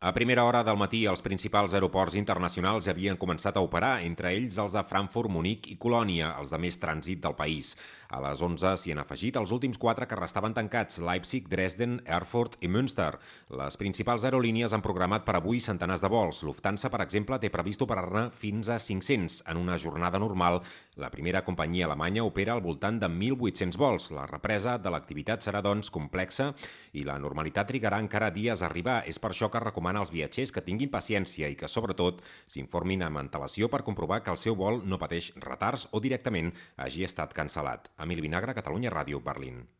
A primera hora del matí, els principals aeroports internacionals ja havien començat a operar, entre ells els de Frankfurt, Munic i Colònia, els de més trànsit del país. A les 11 s'hi han afegit els últims 4 que restaven tancats: Leipzig, Dresden, Erfurt i Münster. Les principals aerolínies han programat per avui centenars de vols. Lufthansa, per exemple, té previst operar-ne fins a 500 en una jornada normal. La primera companyia alemanya opera al voltant de 1.800 vols. La represa de l'activitat serà, doncs, complexa i la normalitat trigarà encara dies a arribar. És per això que recomana als viatgers que tinguin paciència i que, sobretot, s'informin amb antelació per comprovar que el seu vol no pateix retards o directament hagi estat cancel·lat. Emili Vinagre, Catalunya Ràdio, Berlín.